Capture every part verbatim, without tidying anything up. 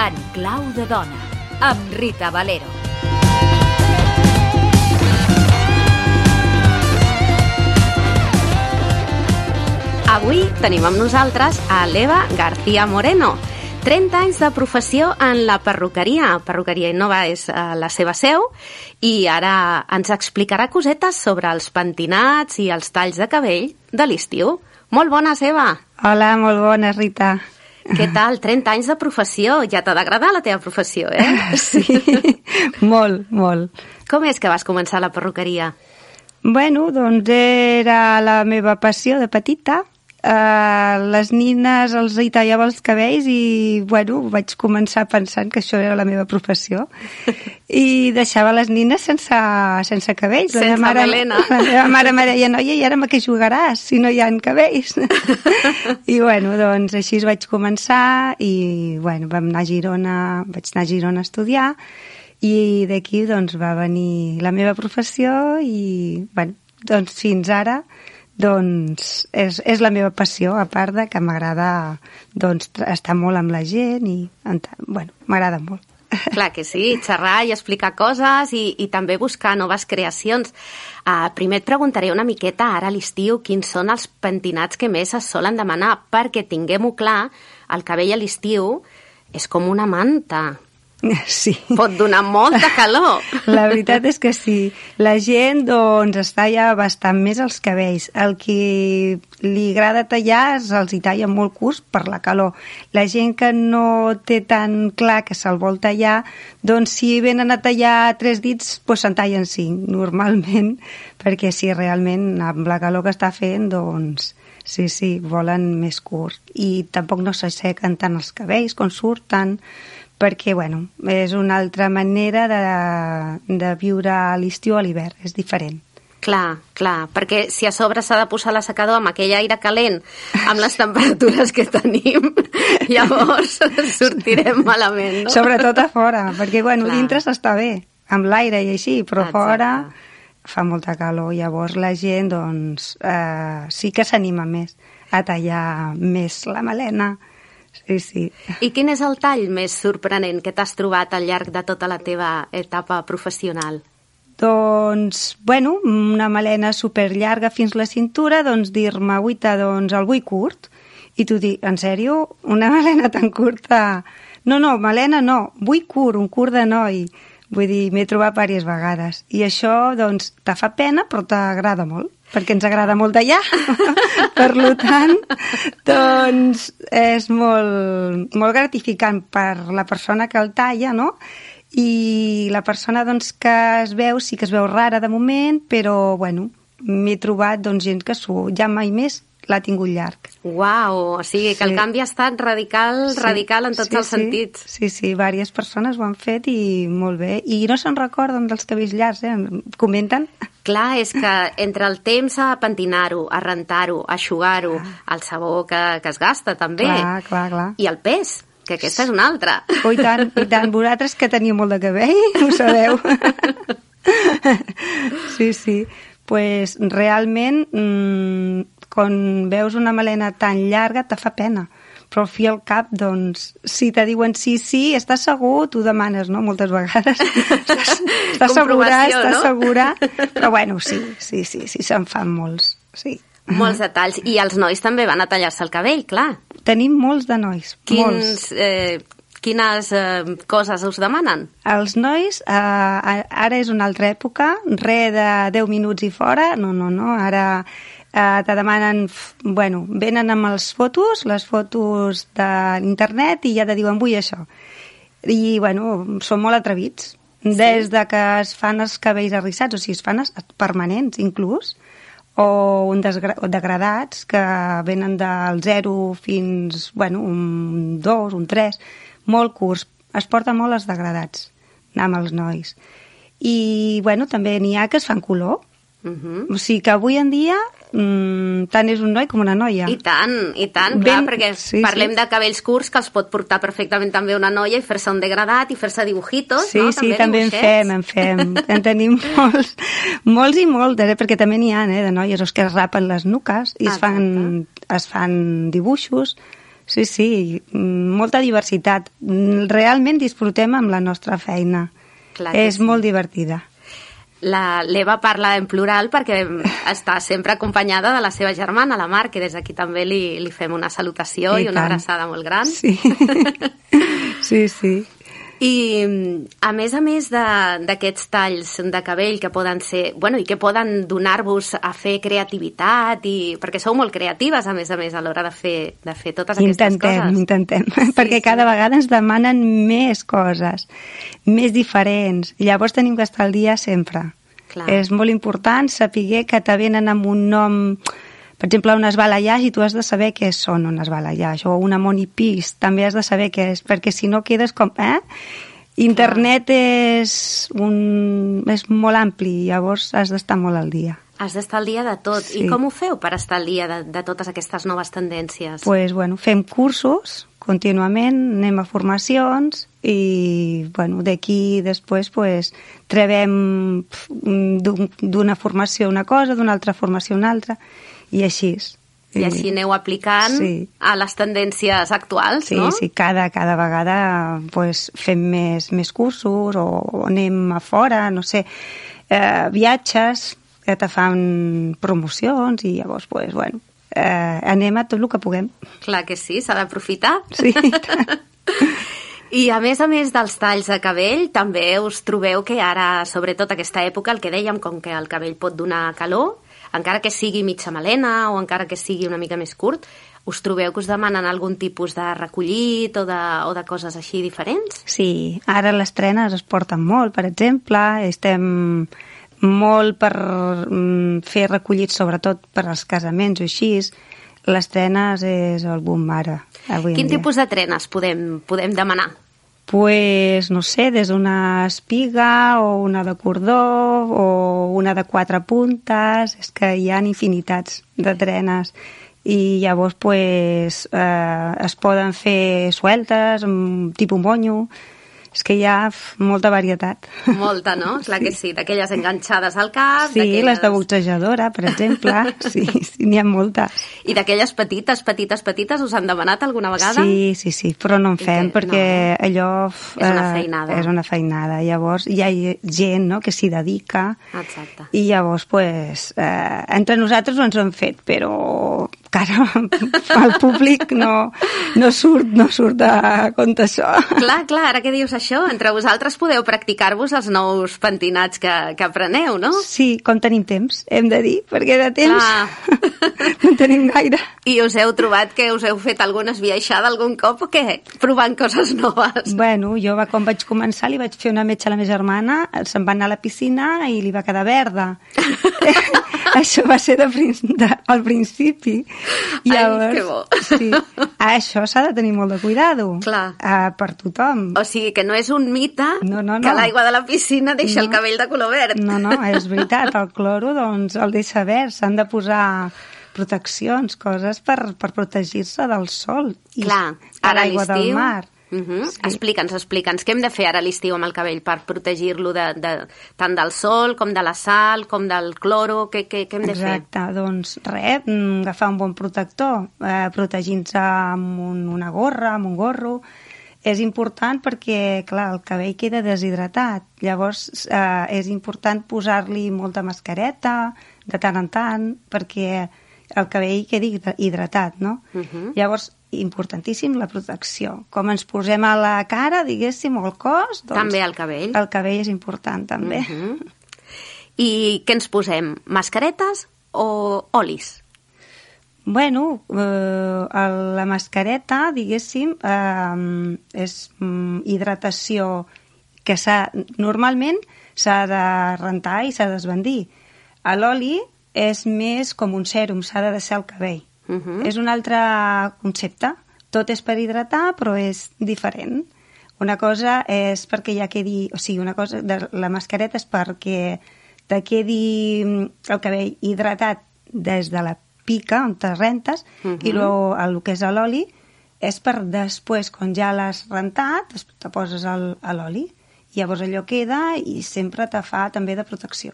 En clau de dona, amb Rita Valero. Avui tenim amb nosaltres a l'Eva García Moreno. trenta anys de professió en la perruqueria. Perruqueria Innova és la seva seu i ara ens explicarà cosetes sobre els pentinats i els talls de cabell de l'estiu. Molt bones, Eva! Hola, molt bones, Rita. Què tal? trenta anys de professió. Ja t'ha d'agradar la teva professió, eh? Sí, molt, molt. Com és que vas començar la perruqueria? Bueno, doncs era la meva passió de petita. Uh, les nines els hi tallava els cabells i, bueno, vaig començar pensant que això era la meva professió. I deixava les nines sense, sense cabells. Sense la mare, melena. La meva mare me deia, noia, i ara amb què jugaràs si no hi ha cabells? I, bueno, doncs així vaig començar i, bueno, vam anar a Girona, vaig anar a Girona a estudiar i d'aquí, doncs, va venir la meva professió i, bueno, doncs fins ara doncs és, és la meva passió, a part de que m'agrada doncs, estar molt amb la gent i, bueno, m'agrada molt. Clar que sí, xerrar i explicar coses i, i també buscar noves creacions. Uh, primer et preguntaré una miqueta ara a l'estiu quins són els pentinats que més es solen demanar, perquè tinguem-ho clar, el cabell a l'estiu és com una manta. Sí. Pot donar molta calor. La veritat és que sí. La gent, doncs, es talla bastant més els cabells. El que li agrada tallar se'ls hi talla molt curts per la calor. La gent que no té tan clar que se'l vol tallar, doncs si venen a tallar tres dits, doncs se'n tallen cinc, normalment, perquè si realment amb la calor que està fent, doncs sí, sí, volen més curt. I tampoc no s'assequen tant els cabells quan surten, perquè, bueno, és una altra manera de, de viure l'estiu a l'hivern, és diferent. Clar, clar, perquè si a sobre s'ha de posar l'assecador amb aquell aire calent, amb les temperatures que tenim, llavors sortirem malament, no? Sobretot a fora, perquè, bueno, clar. Dintre s'està bé, amb l'aire i així, però exacte. Fora fa molta calor, llavors la gent, doncs, eh, sí que s'anima més a tallar més la melena. Sí, sí. I quin és el tall més sorprenent que t'has trobat al llarg de tota la teva etapa professional? Doncs, bueno, una melena superllarga fins la cintura, doncs dir-me, uita, doncs el vull curt. I tu dic, en sèrio? Una melena tan curta? No, no, melena no, vull curt, un curt de noi. Vull dir, m'he trobat diverses vegades. I això, doncs, te fa pena, però t'agrada molt, perquè ens agrada molt tallar. Per tant, doncs, és molt, molt gratificant per la persona que el talla, no? I la persona, doncs, que es veu, sí que es veu rara de moment, però, bueno, m'he trobat, doncs, gent que ja mai més l'ha tingut llarg. Uau, o sigui que sí. El canvi ha estat radical, sí, radical en tots sí, els sí. sentits. Sí, sí, diverses persones ho han fet i molt bé. I no se'n recorden dels cabells llargs, eh? Comenten. Clar, és que entre el temps a pentinar-ho, a rentar-ho, a eixugar-ho, el sabó que, que es gasta també, clar, clar, clar. I el pes, que aquesta és una altra. Oh, i tant, i tant. Vosaltres que teniu molt de cabell, ho sabeu. Sí, sí. Pues realment, mmm, quan veus una melena tan llarga te fa pena, però al fi al cap, doncs, si te diuen sí, sí, estàs segur, tu demanes, no?, moltes vegades. Estàs, estàs segura, estàs no? segura, però bueno, sí, sí, sí, sí, se'n fan molts, sí. Molts detalls. I els nois també van a tallar-se el cabell, clar. Tenim molts de nois, Quins, molts. Eh, quines eh, coses us demanen? Els nois, eh, ara és una altra època, re de deu minuts i fora, no, no, no, ara... Uh, te demanen, bueno, venen amb les fotos, les fotos de l'internet i ja te diuen, vull això. I, bueno, són molt atrevits. Sí. Des de que es fan els cabells arrissats, o sigui, es fan permanents, inclús, o un degradats, que venen del zero fins, bueno, un dos, un tres, molt curts. Es porta molt els degradats, amb els nois. I, bueno, també n'hi ha que es fan color. Uh-huh. O sigui que avui en dia mm, tant és un noi com una noia. I tant, i tant, clar, Ben, perquè sí, parlem sí. de cabells curts que els pot portar perfectament també una noia i fer-se un degradat i fer-se dibujitos, sí, no? Sí, sí, també també en fem, en fem. En tenim molts, molts i moltes, eh? Perquè també n'hi ha, eh, de noies que es rapen les nuques i es fan, es fan dibuixos. Sí, sí, molta diversitat. Realment disfrutem amb la nostra feina. Clar és sí. molt divertida. L'Eva parla en plural perquè està sempre acompanyada de la seva germana, la Mar, que des d'aquí també li, li fem una salutació i, i una abraçada molt gran. Sí, sí, sí. I a més a més d'aquests talls de cabell que poden ser, bueno, i que poden donar-vos a fer creativitat, i perquè sou molt creatives a més a més a l'hora de fer, de fer totes aquestes intentem, coses. Intentem, intentem, sí, perquè sí. cada vegada ens demanen més coses, més diferents. Llavors tenim que estar al dia sempre. Clar. És molt important saber que te venen amb un nom, per exemple, unes balayage, i tu has de saber què són unes balayage, o una monipís, també has de saber què és, perquè si no quedes com... Eh? Internet és, un, és molt ampli, llavors has d'estar molt al dia. Has d'estar al dia de tot. Sí. I com ho feu per estar al dia de, de totes aquestes noves tendències? Pues, bueno, fem cursos contínuament, anem a formacions i bueno, d'aquí després pues, trebem d'una formació una cosa, d'una altra formació una altra, i així. I així aneu aplicant sí. a les tendències actuals, sí, no? Sí, cada, cada vegada pues, fem més, més cursos o, o anem a fora, no sé, eh, viatges que te fan promocions i llavors, pues, bueno, eh, anem a tot el que puguem. Clar que sí, s'ha d'aprofitar. Sí, I a més a més dels talls de cabell, també us trobeu que ara, sobretot aquesta època, el que dèiem, com que el cabell pot donar calor, encara que sigui mitja melena o encara que sigui una mica més curt, us trobeu que us demanen algun tipus de recollit o de, o de coses així diferents? Sí, ara les trenes es porten molt, per exemple, estem molt per fer recollits, sobretot per als casaments o així. Les trenes és el boom ara. Quin tipus de trenes podem, podem demanar? Pues, no sé, des d'una espiga o una de cordó o una de quatre puntes, és que hi ha infinitats de trenes i llavors pues, eh, es poden fer sueltes, tipus monyo, és que hi ha molta varietat. Molta, no? Clar sí. que sí, d'aquelles enganxades al cap. Sí, les de boxejadora, per exemple, sí, sí n'hi ha moltes. I d'aquelles petites, petites, petites, us han demanat alguna vegada? Sí, sí, sí, però no en fem, que, perquè no. allò... És una feinada. Eh, és una feinada. Llavors hi ha gent no, que s'hi dedica. Exacte. I llavors, pues, eh, entre nosaltres ho ens ho hem fet, però cara, el públic no, no, surt, no surt a compte això. Clar, clar, ara que dius això, entre vosaltres podeu practicar-vos els nous pentinats que, que apreneu, no? Sí, com tenim temps, hem de dir, perquè de temps no en tenim gaire. I us heu trobat que us heu fet alguna esbiaixada algun cop o què? Provant coses noves? Bueno, jo va, quan vaig començar li vaig fer una metxa a la meva germana, se'n va anar a la piscina i li va quedar verda. Això va ser de, de, al principi. Llavors, ai, que bo. Sí, això s'ha de tenir molt de cuidado. Clar. Uh, per tothom. O sigui, que no és un mite no, no, no. que l'aigua de la piscina deixa no. el cabell de color verd. No, no, és veritat. El cloro, doncs, el deixa verd. S'han de posar proteccions, coses per, per protegir-se del sol. Clar, I a l'aigua del mar. Uh-huh. Sí. Explica'ns, explica'ns, què hem de fer ara a l'estiu amb el cabell per protegir-lo de, de, tant del sol com de la sal, com del cloro, què, què, què hem de fer? Exacte, doncs res, agafar un bon protector, eh, protegint-se amb un, una gorra, amb un gorro. És important perquè, clar, el cabell queda deshidratat, llavors eh, és important posar-li molta mascareta de tant en tant perquè el cabell quedi hidratat, no? Uh-huh. Llavors, importantíssim la protecció. Com ens posem a la cara, diguéssim, o al cos... Doncs també al cabell. El cabell és important, també. Uh-huh. I què ens posem? Mascaretes o olis? Bueno, eh, la mascareta, diguéssim, eh, és hidratació que s'ha, normalment s'ha de rentar i s'ha d'esbandir. L'oli és més com un sèrum, s'ha de deixar el cabell. Uh-huh. És un altre concepte. Tot és per hidratar, però és diferent. Una cosa és perquè ja quedi... O sigui, una cosa de la mascareta és perquè te quedi el cabell hidratat des de la pica, on te rentes, uh-huh. i lo, el que és l'oli és per després, quan ja l'has rentat, te poses el, l'oli, i llavors allò queda i sempre te fa també de protecció.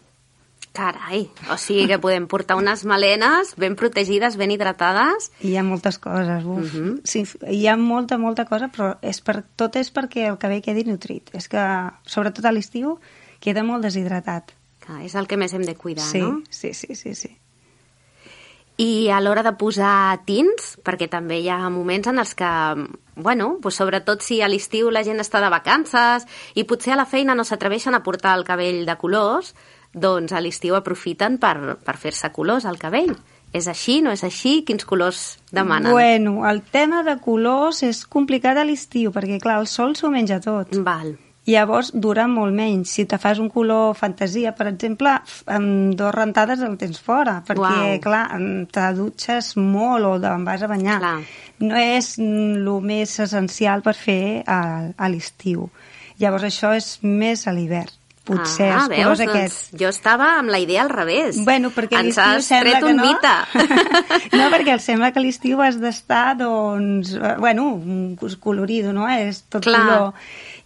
Carai, o sigui que podem portar unes melenes ben protegides, ben hidratades. Hi ha moltes coses, uf. Uh-huh. Sí, hi ha molta, molta cosa, però és per, tot és perquè el cabell quedi nutrit. És que, sobretot a l'estiu, queda molt deshidratat. Clar, és el que més hem de cuidar, sí, no? Sí, sí, sí, sí. I a l'hora de posar tints, perquè també hi ha moments en els que, bueno, pues sobretot si a l'estiu la gent està de vacances i potser a la feina no s'atreveixen a portar el cabell de colors, doncs a l'estiu aprofiten per, per fer-se colors al cabell. És així, no és així? Quins colors demanen? Bueno, el tema de colors és complicat a l'estiu, perquè clar, el sol s'ho menja tot. Val. Llavors dura molt menys. Si te fas un color fantasia, per exemple, amb dues rentades el tens fora, perquè, Uau. clar, te dutxes molt o te'n vas a banyar. Clar. No és el més essencial per fer a, a l'estiu. Llavors això és més a l'hivern. Potser ah, els colors veus, aquests. Doncs jo estava amb la idea al revés. Bueno, perquè ens l'estiu has sembla tret que un no. mite. No, perquè em sembla que a l'estiu has d'estar, doncs, bueno, colorido, no? És tot Clar. color.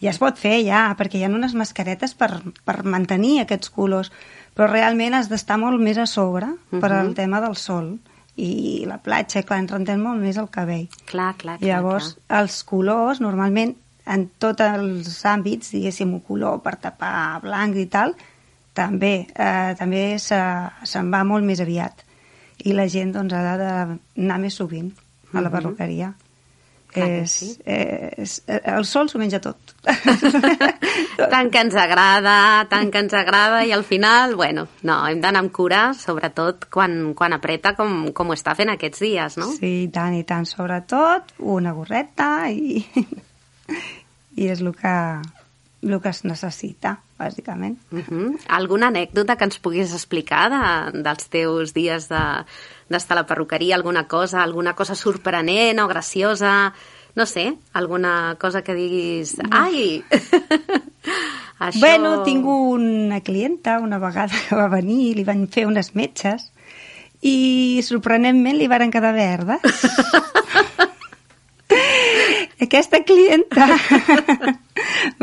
I es pot fer ja, perquè hi ha unes mascaretes per, per mantenir aquests colors, però realment has d'estar molt més a sobre uh-huh. per al tema del sol. I la platja, clar, ens rentem molt més el cabell. Clar, clar, clar. Llavors, clar. els colors, normalment, en tots els àmbits, diguéssim, un color per tapar blanc i tal, també, eh, també se, se'n va molt més aviat. I la gent, doncs, ha d'anar més sovint a la perruqueria. Clar que és, sí. és, el sol s'ho menja tot. Tant que ens agrada, tant que ens agrada, i al final, bueno, no, hem d'anar amb cura, sobretot quan, quan apreta com, com ho està fent aquests dies, no? Sí, i tant, i tant. Sobretot una gorreta i, i és el que, el que es necessita, bàsicament. Uh-huh. Alguna anècdota que ens puguis explicar de, dels teus dies de d'estar a la perruqueria, alguna cosa, alguna cosa sorprenent o graciosa, no sé, alguna cosa que diguis, ai! Això... Bueno, tinc una clienta una vegada que va venir, li van fer unes metges i sorprenentment li varen quedar verdes. Aquesta clienta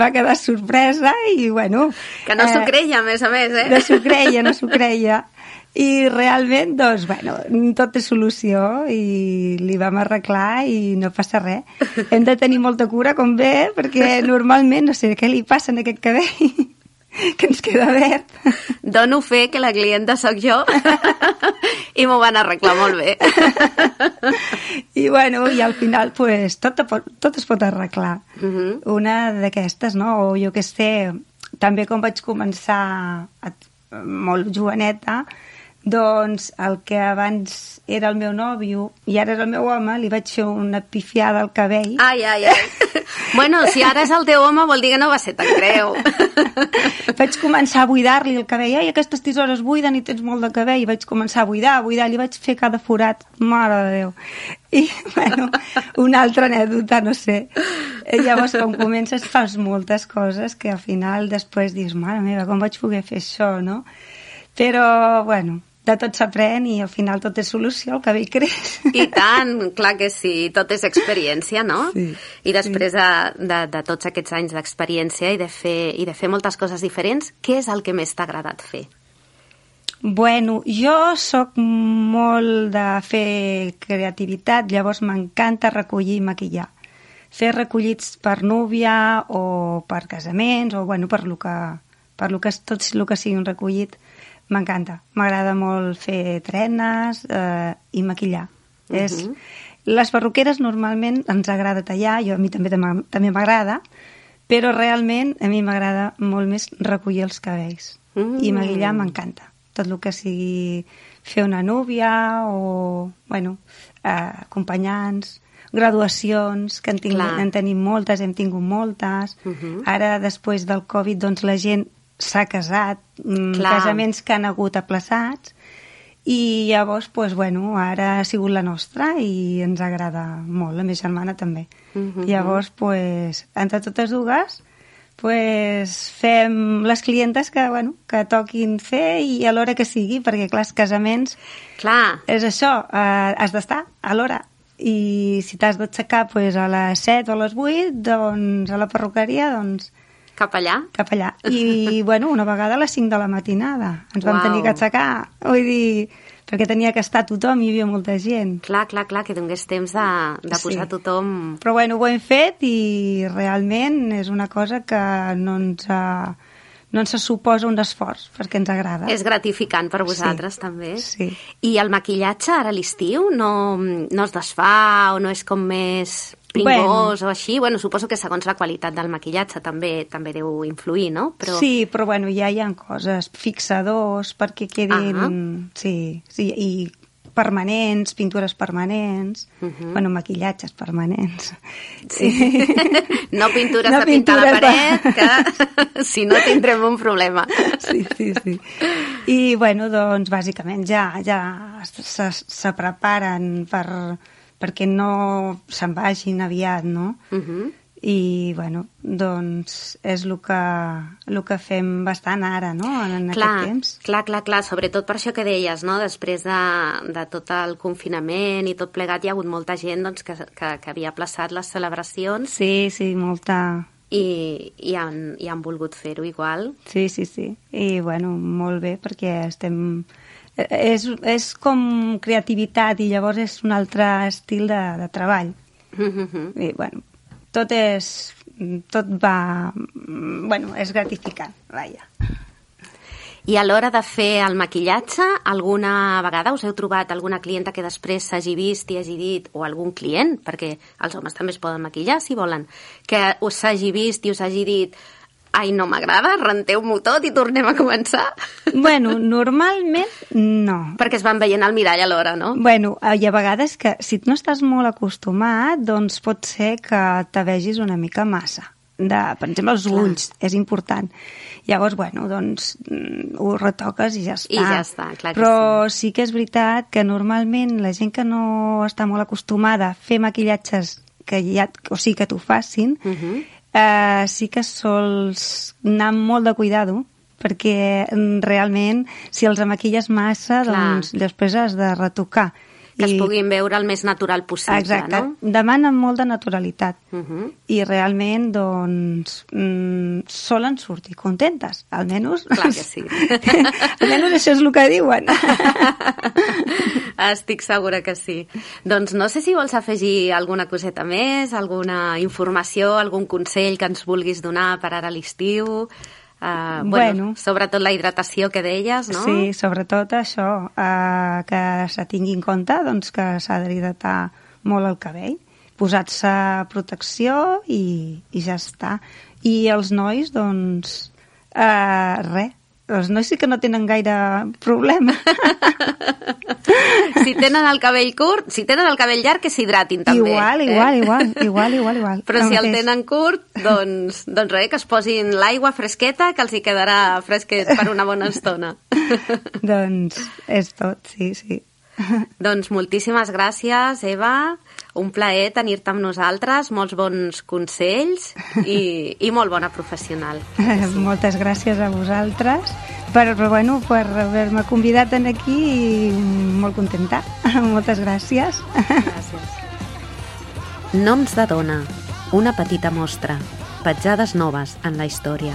va quedar sorpresa i, bueno... Que no s'ho eh, creia, a més a més, eh? No s'ho creia, no s'ho creia. I realment, doncs, bueno, tot té solució i li vam arreglar i no passa res. Hem de tenir molta cura, com ve, perquè normalment, no sé què li passa en aquest cabell, que ens queda verd. Dono fe que la clienta sóc jo i m'ho van arreglar molt bé. I, bueno, i al final, pues, tot, tot es pot arreglar. Uh-huh. Una d'aquestes, no? O jo que sé, també com vaig començar a, molt joveneta, doncs el que abans era el meu nòvio i ara és el meu home, li vaig fer una pifiada al cabell. Ai, ai, ai. Bueno, si ara és el teu home vol dir que no va ser tan greu. Vaig començar a buidar-li el cabell. Ai, aquestes tisores buiden i tens molt de cabell. I vaig començar a buidar, a buidar. Li vaig fer cada forat. Mare de Déu. I, bueno, una altra anècdota, no sé. I llavors, quan comences, fas moltes coses que al final després dius, mare meva, com vaig poder fer això, no? Però, bueno, de tot s'aprèn i al final tot és solució, el cabell creix. I tant, clar que sí, tot és experiència, no? Sí, I després de, de, de tots aquests anys d'experiència i, de fer, i de fer moltes coses diferents, què és el que més t'ha agradat fer? Bueno, jo sóc molt de fer creativitat, llavors m'encanta recollir i maquillar. Fer recollits per núvia o per casaments o, bueno, per lo que, per lo que és tot el que sigui un recollit. M'encanta. M'agrada molt fer trenes eh, i maquillar. Uh-huh. És... Les perruqueres normalment ens agrada tallar, jo a mi també també m'agrada, però realment a mi m'agrada molt més recollir els cabells. Uh-huh. I maquillar m'encanta. Tot el que sigui fer una núvia o, bueno, eh, acompanyants, graduacions, que en, tinc, en tenim moltes, hem tingut moltes. Uh-huh. Ara, després del Covid, doncs la gent s'ha casat, Clar. casaments que han hagut aplaçats, i llavors, pues, bueno, ara ha sigut la nostra i ens agrada molt, la meva germana també. Uh-huh. Llavors, pues, entre totes dues, pues, fem les clientes que, bueno, que toquin fer i a l'hora que sigui, perquè, clar, els casaments... Clar. És això, eh, has d'estar a l'hora. I si t'has d'aixecar pues, a les set o a les vuit, doncs a la perruqueria, doncs... Cap allà? Cap allà. I, bueno, una vegada a les cinc de la matinada. Ens vam Uau. tenir que aixecar. Vull dir, perquè tenia que estar tothom, hi havia molta gent. Clar, clar, clar, que donés temps de, de posar Sí. tothom... Però bueno, ho hem fet i realment és una cosa que no ens, ha, no ens suposa un esforç, perquè ens agrada. És gratificant per vosaltres, Sí. també. Sí. I el maquillatge ara a l'estiu no, no es desfà o no és com més pringós bueno. o així? Bueno, suposo que segons la qualitat del maquillatge també també deu influir, no? Però... Sí, però bueno, ja hi ha coses, fixadors perquè quedin... Ah. Sí, sí, i permanents, pintures permanents, Uh -huh. bueno, maquillatges permanents. Sí. No pintures No de pintar la pintures paret, que si no tindrem un problema. Sí, sí, sí. I, bueno, doncs, bàsicament ja, ja se, se preparen per, perquè no se'n vagin aviat, no? Uh -huh. I, bueno, doncs és el que, el que fem bastant ara, no?, en Clar, aquest temps. clar, clar, clar, sobretot per això que deies, no? Després de, de tot el confinament i tot plegat, hi ha hagut molta gent doncs, que, que, que havia plaçat les celebracions Sí, sí, molta... i, i, han, i han volgut fer-ho igual. Sí, sí, sí. I, bueno, molt bé, perquè estem... És, és com creativitat i llavors és un altre estil de, de treball. Uh -huh. I, bueno, tot és... Tot va... Bueno, és gratificant, vaja. I a l'hora de fer el maquillatge, alguna vegada us heu trobat alguna clienta que després s'hagi vist i hagi dit, o algun client, perquè els homes també es poden maquillar si volen, que us s'hagi vist i us hagi dit ai, no m'agrada, renteu-m'ho tot i tornem a començar? Bueno, normalment no. Perquè es van veient al mirall alhora, no? Bueno, hi ha vegades que si no estàs molt acostumat, doncs pot ser que te vegis una mica massa. De, per exemple, els Clar. ulls, és important. Llavors, bueno, doncs ho retoques i ja està. I ja està, clar que Però sí. sí que és veritat que normalment la gent que no està molt acostumada a fer maquillatges que ja, o sigui, que t'ho facin, Uh -huh. eh, sí que sols anar amb molt de cuidado, perquè mm, realment si els maquilles massa, Clar. doncs després has de retocar. Que es puguin veure el més natural possible, Exacte, no? demanen molt de naturalitat. Uh -huh. I realment, doncs, mm, solen sortir contentes, almenys. Clar que sí. Almenys això és el que diuen. Estic segura que sí. Doncs no sé si vols afegir alguna coseta més, alguna informació, algun consell que ens vulguis donar per ara a l'estiu. Uh, bueno, Bueno. sobretot la hidratació que deies, no? Sí, sobretot això, eh, que se tingui en compte doncs, que s'ha d'hidratar molt el cabell, posar-se protecció i, i ja està. I els nois, doncs, eh, res, els nois sí que no tenen gaire problema. Si tenen el cabell curt, si tenen el cabell llarg, que s'hidratin també. Igual, eh? igual, igual, igual, igual, igual. Però si el mateix. tenen curt, doncs, doncs res, que es posin l'aigua fresqueta, que els hi quedarà fresquet per una bona estona. Doncs és tot, sí, sí. Doncs moltíssimes gràcies, Eva. Un plaer tenir-te amb nosaltres, molts bons consells i, i molt bona professional. Moltes gràcies a vosaltres per, bueno, per haver-me convidat en aquí i molt contenta. Moltes gràcies. Gràcies. Noms de dona, una petita mostra, petjades noves en la història.